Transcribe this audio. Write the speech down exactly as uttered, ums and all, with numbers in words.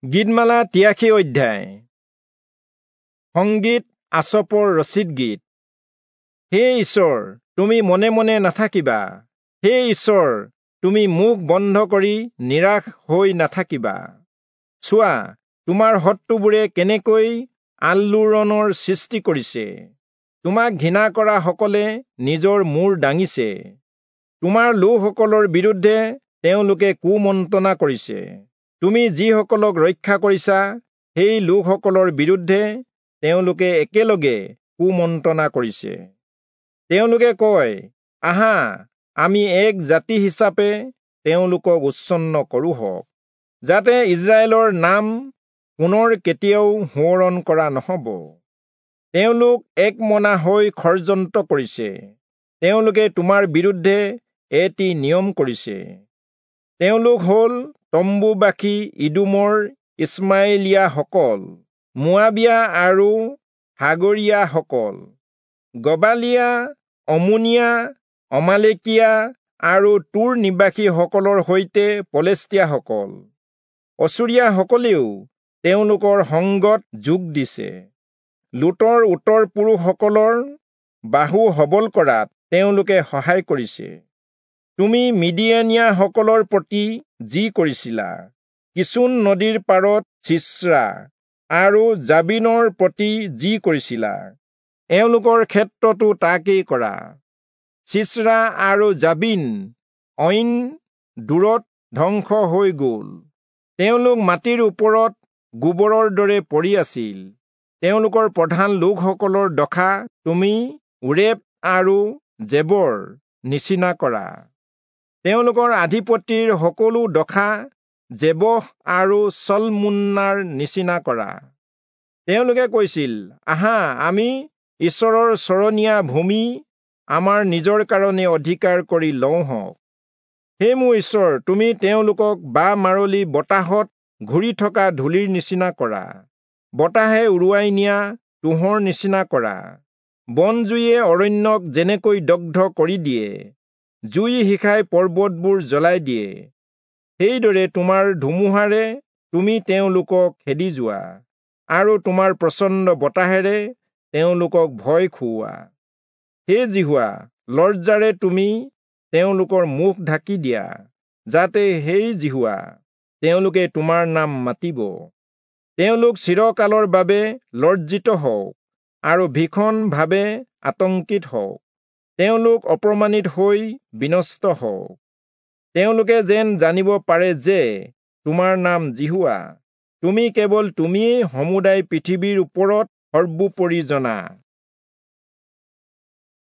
গীতমালা তিৰাশী অধ্যায়। সংগীত আচপৰ ৰচিত গীত। হে ঈশ্বৰ, তুমি মনে মনে নাথাকিবা। হে ঈশ্বৰ, তুমি মুখ বন্ধ কৰি নিৰাশ হৈ নাথাকিবা। চোৱা, তোমাৰ শত্ৰুবোৰে কেনেকৈ আলোড়নৰ সৃষ্টি কৰিছে। তোমাক ঘৃণা কৰা সকলে নিজৰ মূৰ দাঙিছে। তোমাৰ লোকসকলৰ বিৰুদ্ধে তেওঁলোকে কুমন্ত্ৰণা কৰিছে। তুমি যিসকলক ৰক্ষা কৰিছা, সেই লোকসকলৰ বিৰুদ্ধে তেওঁলোকে একেলগে কুমন্ত্ৰণা কৰিছে। তেওঁলোকে কয়, আহা, আমি এক জাতি হিচাপে তেওঁলোকক উচ্ছন্ন কৰোঁহক, যাতে ইস্ৰায়েলৰ নাম পুনৰ কেতিয়াও সোঁৱৰণ কৰা নহ'ব। তেওঁলোক একমনা হৈ ষড়যন্ত্ৰ কৰিছে। তেওঁলোকে তোমাৰ বিৰুদ্ধে এটি নিয়ম কৰিছে। তেওঁলোক হ'ল তম্বুবাসী ইদোমৰ ইস্মায়েলীয়াসকল, মোৱাবীয়া আৰু হাগৰীয়াসকল, গবালীয়া, অমোনীয়া, অমালেকীয়া আৰু তূৰ নিবাসীসকলৰ সৈতে পলেষ্টীয়াসকল। অচুৰীয়াসকলেও তেওঁলোকৰ সংগত যোগ দিছে। লোটৰ উত্তৰ পুৰুষসকলৰ বাহু সবল কৰাত তেওঁলোকে সহায় কৰিছে। তুমি মিদিয়ানীয়াসকলৰ প্ৰতি যি কৰিছিলা, কিচোন নদীৰ পাৰত চিচৰা আৰু যাবীনৰ প্ৰতি যি কৰিছিলা, এওঁলোকৰ ক্ষেত্ৰতো তাকেই কৰা। চিচৰা আৰু যাবীন অইন দূৰত ধ্বংস হৈ গ'ল। তেওঁলোক মাটিৰ ওপৰত গোবৰৰ দৰে পৰি আছিল। তেওঁলোকৰ প্ৰধান লোকসকলৰ দশা তুমি ওৰেব আৰু জেবৰ নিচিনা কৰা। তেওঁলোকৰ আধিপতিৰ সকলো দশা জেবহ আৰু চলমুন্নাৰ নিচিনা কৰা। তেওঁলোকে কৈছিল, আহা, আমি ঈশ্বৰৰ চৰণীয়া ভূমি আমাৰ নিজৰ কাৰণে অধিকাৰ কৰি লওঁহক। হে মোৰ ঈশ্বৰ, তুমি তেওঁলোকক বা মাৰলি বতাহত ঘূৰি থকা ধূলিৰ নিচিনা কৰা, বতাহে উৰুৱাই নিয়া তুঁহৰ নিচিনা কৰা। বনজুয়ে অৰণ্যক যেনেকৈ দগ্ধ কৰি দিয়ে, জুই শিখাই পৰ্বতবোৰ জ্বলাই দিয়ে, সেইদৰে তোমাৰ ধুমুহাৰে তুমি তেওঁলোকক খেদি যোৱা আৰু তোমাৰ প্ৰচণ্ড বতাহেৰে তেওঁলোকক ভয় খুওৱা। হে যিহোৱা, লজ্জাৰে তুমি তেওঁলোকৰ মুখ ঢাকি দিয়া, যাতে হে যিহোৱা, তেওঁলোকে তোমাৰ নাম মাতিব। তেওঁলোক চিৰকালৰ বাবে লজ্জিত হওক আৰু ভীষণভাৱে আতংকিত হওক। তেওঁলোক অপমানিত হৈ বিনষ্ট হওক। তেওঁলোকে যেন জানিব পাৰে যে তোমাৰ নাম যিহোৱা, তুমি কেৱল তুমিয়েই সমুদায় পৃথিৱীৰ ওপৰত সৰ্বোপৰি জনা।